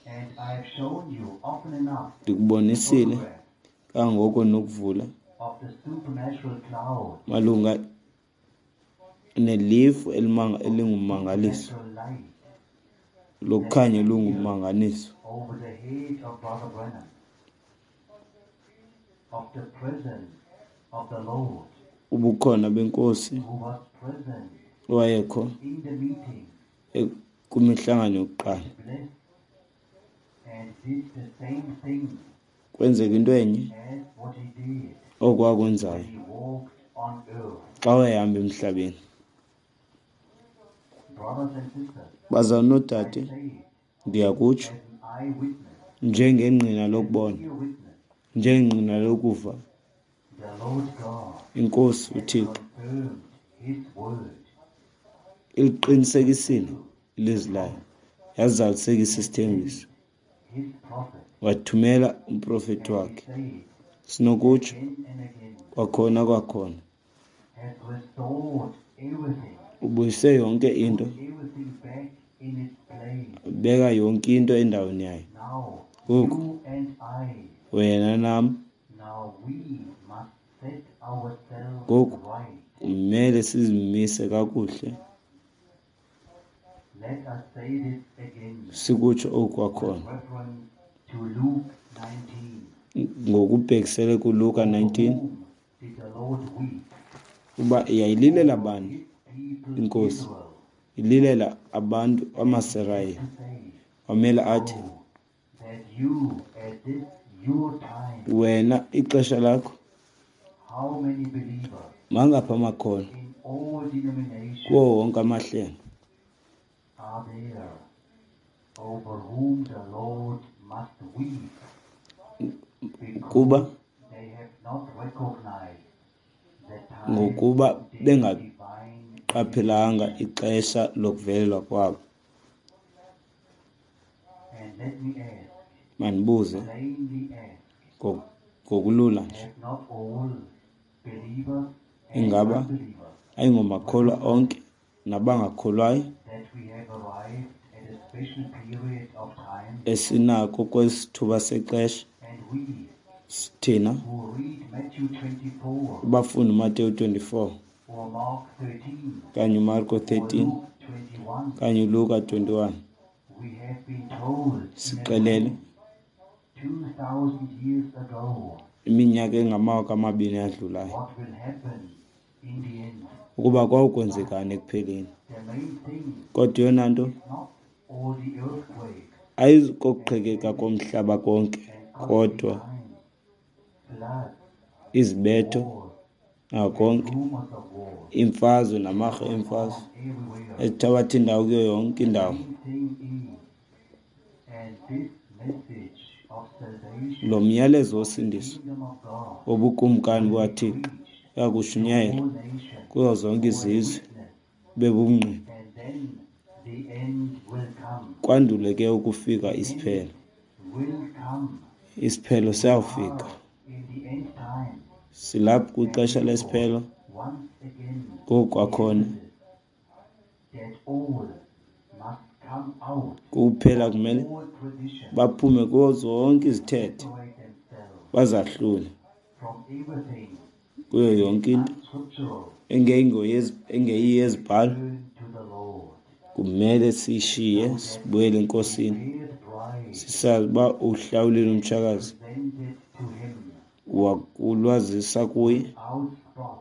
and I have shown you often enough Ndikubonisile photographs kangoko nokuvula of the supernatural cloud, malunga nelifu elimanga- of the elingummangaliso, supernatural light that lokukhanya appeared olungummangaliso over the head of Brother Branham, of the presence of the Lord ubukhona benkosi who was present owayekho in the meeting e- kwimihlangano yokuqala. and blessed and did the same thing Kwenzeka into enye as what he did okwakwenzayo when he walked on earth. xa wayehamba emhlabeni. Brothers and sisters, Bazalwane I noodade, say it ndiyakutsho as an eyewitness, njengengqina as an lokubona, ear witness, njengengqina lokuva, the Lord God inkosi has uThixo confirmed his word, iliqinisekisile fulfilled ilizwi the layo, promise, yazalisekisa and isithembiso, sent his prophet. wathumela umprofethi And we wakhe. say it Sinokutsho again and again, kwakhona kwakhona, has restored everything, ubuyise yonke put into, everything back in its place. beka yonke into endaweni yayo. Now, Ngoku you and I, wena nam now we must set ourselves ngoku right. kumele sizimise kakuhle, Let us say this again sikutsho oku with kwakhona reference to Luke nineteen. ngokubhekisele kuLuka Over nineteen, whom did the Lord weep? uba yayililela Over bani his people inkosi, Israel. ililela abantu And he had amaSirayeli. to say, Wamele athi, Oh, that you at this your time, wena ixesha lakho, How many believers Mangaphi amakholwa in all denominations kuwo wonke amahlelo are there over whom the Lord must weep Kuba because they have not recognized the time ngokuba of their divine bengaqaphelanga ixesha lokuvelelwa kwabo. And let me ask, Mandibuze plainly ask, ngo- ngokulula nje, have not all believers and ingaba unbelievers ayingomakholwa onke nabangakholwayo that we have arrived at a special period of time, esinako kwesithuba sexesha and we thina who read Matthew twenty-four abafunda uMateyu twenty-four or Mark thirteen kanye uMarko or thirteen Luke twenty-one, kanye uLuka twenty-one we have been told in sixelele advance two thousand years ago iminyaka engamawaka amabini adlulayo what will happen in the end. ukuba kwawukwenzekani ekupheleni. The main thing Kodwa eyona nto is not all the earthquakes ayikokuqhekeka komhlaba konke, and costly kodwa times, floods, izibetho wars, nakonke, rumors of war imfazwe namarhe going emfazwe on everywhere. ezithabatha indawo kuyo yonke The indawo. main thing is, and this message of salvation Lo myalezo of the wosindiso kingdom of God wobukumkani will be bukaThixo preached to uyakushunyayelwa all nations kuzo zonke for a izizwe witness, bebungqina, and then the end will come. kwandule ke ukufika The end isiphelo. will come. Isiphelo We siyawufika. are in the end time, Silapha and kwixesha therefore, lesiphelo. once again, Ngoku the kwakhona emphasis that all must come out kuphela of kumele all tradition, baphume kuzo zonke izithethe, separate themselves bazahlule from everything kuyo that is yonke into unscriptural, engeyingoyezi- engeyiyo yezibhalo. turn to the Lord, Kumele sishiye so that sibuyele a eNkosini, prepared bride sisazi uba uhlawulile umtshakazi, presented to him wakulwazisa kuye without spot,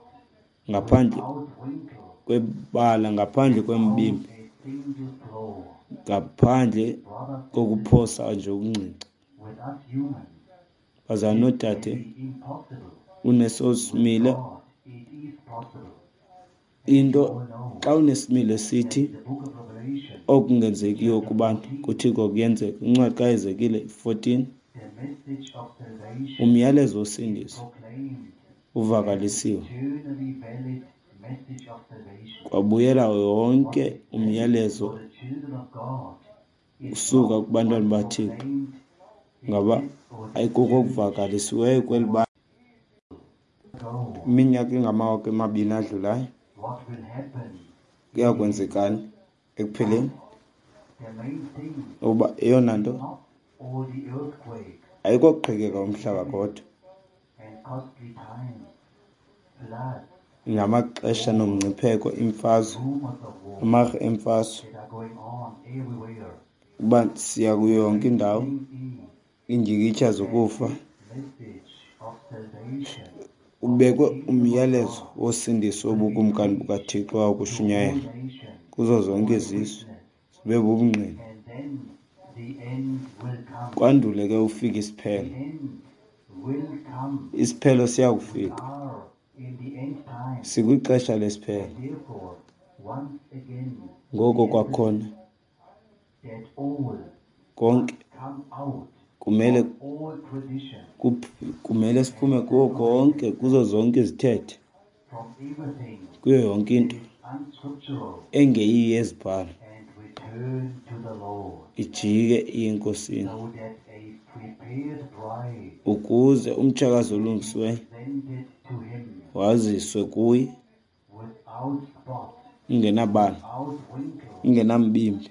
ngaphandle without wrinkle, kwebala, ngaphandle without kwembimbi, a single flaw. ngaphandle Brothers and sisters, kokuphosa nje okuncinci. with us humans, Bazalwane this may noodade, be impossible. uneso With similo God, it is possible. And you into all know xa unesimilo that sithi in the book of Revelation, okungenzekiyo chapter kubantu fourteen, kuThixo kuyenzeka. Incwadi kaEzekile fourteen, the message of salvation umyalezo is wosindiso proclaimed as uvakalisiwe, eternally valid message of salvation. kwabuyela What yonke is valid umyalezo for the children of God is usuka not kubantwana what is baThixo, proclaimed in ngaba this or that ayikuko church okuvakalisiweyo kweli or bandla ago. iminyaka engamawaka emabini adlulayo. What will happen in the end? Kuyakwenzekani ekupheleni? But the main thing Uba eyona is nto not all the earthquakes ayikokuqhekeka and umhlaba famines kodwa and costly times, floods, ngamaxesha wars, nomngcipheko, imfazwe, rumors of war amarhe emfazwe, that are going on everywhere. uba siya kuyo The yonke main indawo, thing is iindyikityha that zokufa. this message of salvation of the Ubekwe kingdom of umyalezo God wosindiso will be wobukumkani preached bukaThixo to all wakushunyayelwa nations kuzo zonke for a izizwe, witness, zibe bubungqina, and then the end will come. kwandule ke ufike The isiphelo. end will come. Isiphelo We siyakufika. are in the end time, Sikwixesha lesiphelo. and therefore, once again, Ngoko the kwakhona emphasis that all konke must come out kumele of all tradition kuph- kumele siphume and kuwo separate konke, kuzo themselves zonke izithethe, from everything kuyo yonke that into is unscriptural engeyiyo yezibhalo, and return to the Lord, ijike iye eNkosini, so that a prepared bride ukuze umtshakazi may be olungisiweyo presented to him waziswe kuye without spot, ingenabala, without wrinkle, ingenambimbi,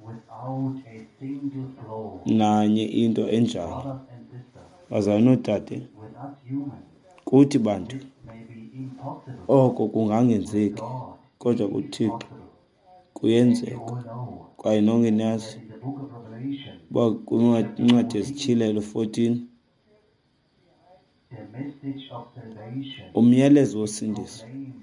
without a single flaw. nanye into enjalo. Brothers and sisters, Bazalwane noodade, with us humans, kuthi bantu this may be impossible. oko With kungangenzeki, God, kodwa it is kuThixo possible. And you kuyenzeka. all know Kwaye nonke niyazi that in the book of Revelation, uba chapter kwincwadi fourteen, yeziTyhilelo fourteen, the message of salvation umyalezo is wosindiso proclaimed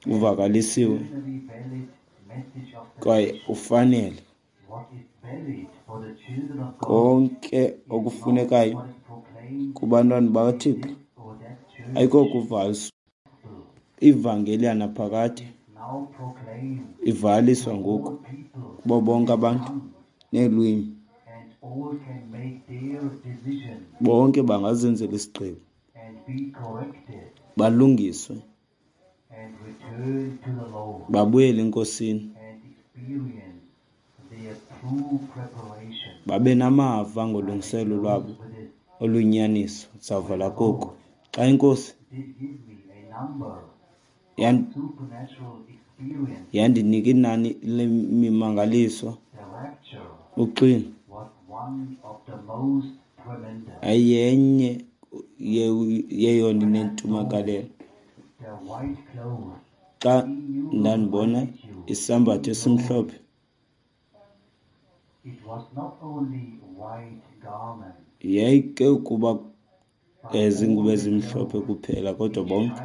as uvakalisiwe eternally valid message of kwaye salvation. ufanele What is valid for the children of God konke is not okufunekayo what is proclaimed kubantwana in bakaThixo this or that Ayikokuva ivangeli yanaphakade ivaliswa ngoku kubo bonke abantu neelwimi. Bonke bangazenzela isigqibo, balungiswe, babuyele eNkosini, babe namava ngolungiselelo lwabo oluyinyaniso. Zavala koku. Xa iNkosi yandinika inani lemimangaliso, uxwilo ayenye yeyona inentumekelelo. Xa ndandibona isambatho esimhlophe, yayike ukuba zingubo ezimhlophe kuphela, kodwa bonke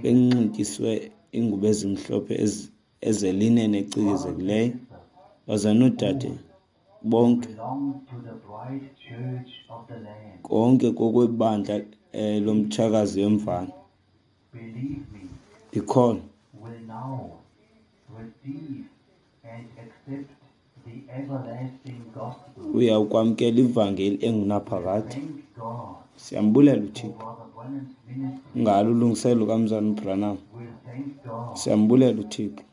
benxityiswe iingubo ezimhlophe ezelinene ecikizekileyo, baza noodade bonke konke kokwebandla lomtshakazi wemvana. Ndikholwa uya kwamkela ivangeli engunaphakade. Siyambulela uThixo ngalo ulungiselelo lukaMzalwana uBranham. Siyambulela uThixo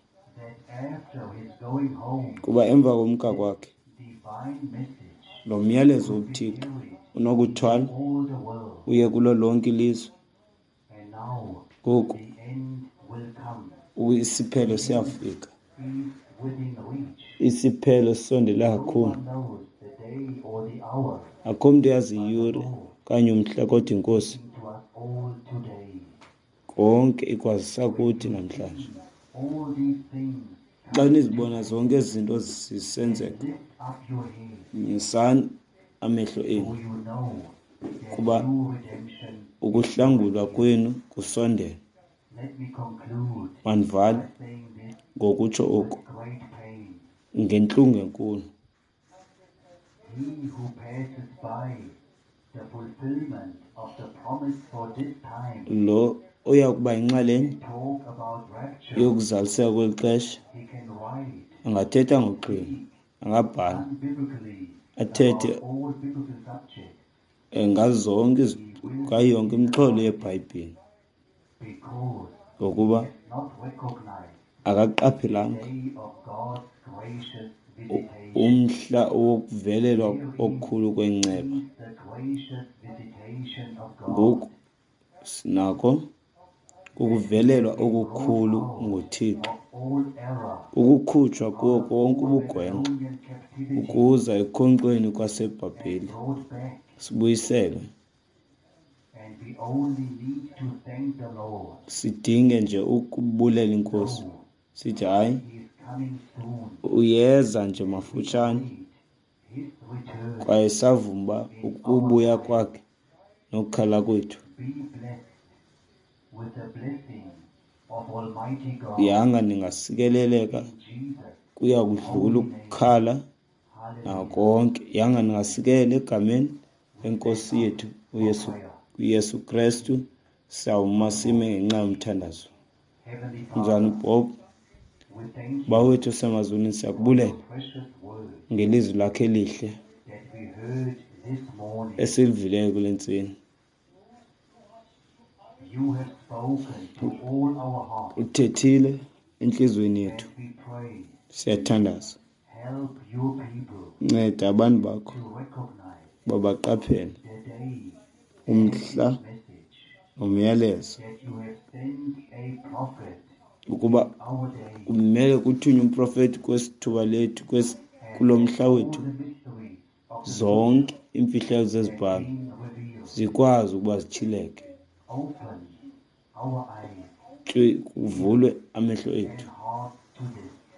kuba emva komka kwakhe lo myalezo wobuThixo unokuthwala uye kulo lonke ilizwe. Ngoku isiphelo siyafika, isiphelo sisondele kakhulu. Akho mntu uyazi iyure okanye umhla, kodwa iNkosi konke ikwazisa kuthi namhlanje. Xa nizibona zonke ezi zinto zisenzeka, nyusani amehlo enu, kuba ukuhlangulwa kwenu kusondele. Mandivale ngokutsho oku ngentlungu enkulu. Lo oya kuba yinxalenye yokuzaliseka kweli xesha angathetha ngoxwilo, angabhala, athethe ngazo zonke ngayo yonke imixholo yeBhayibhile, ngokuba akaqaphelanga umhla wokuvelelwa okukhulu kwenceba. Ngoku sinako ukuvelelwa okukhulu nguThixo, ukukhutshwa kuwo konke ubugwenxa ukuza ekukhonkxweni kwaseBhabheli, sibuyiselwe. Sidinge nje ukubulela iNkosi, sithi hayi, uyeza nje mafutshane, kwaye savuma uba ukubuya kwakhe nokukhala kwethu. Yanga ningasikeleleka, kuya kudlula ukukhala nakonke. Yanga ningasikelela egameni lenkosi yethu uYesu, uYesu Krestu. Sawuma sime ngenxa yomthandazo. Mzalwana Bob, Bawo wethu osemazulwini, siyakubulela ngelizwi lakhe elihle esilivileyo kule ntseni. Uthethile entliziyweni yethu. Siyathandaza, nceda abantu bakho babaqaphele umhla nomyalezo, ukuba kumele kuthunywe umprofeti kwesithuba lethu, kulo mhla wethu, zonke iimfihlelo zezibhalo zikwazi ukuba zityhileke, kuvulwe amehlo ethu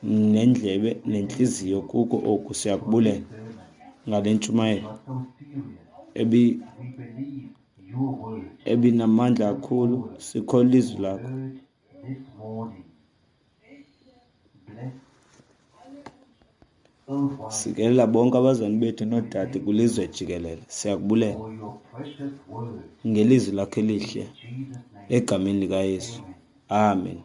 nendlebe nentliziyo kuko oku. Siyakubulela ngale ntshumayelo ebi ebinamandla kakhulu. Sikholwa ilizwi lakho. worldwide. Sikelela bonke abazali bethu noodade kwilizwe jikelele. Siyakubulela For your precious word. ngelizwi lakho elihle In Jesus' name. egameni likaYesu. Amen.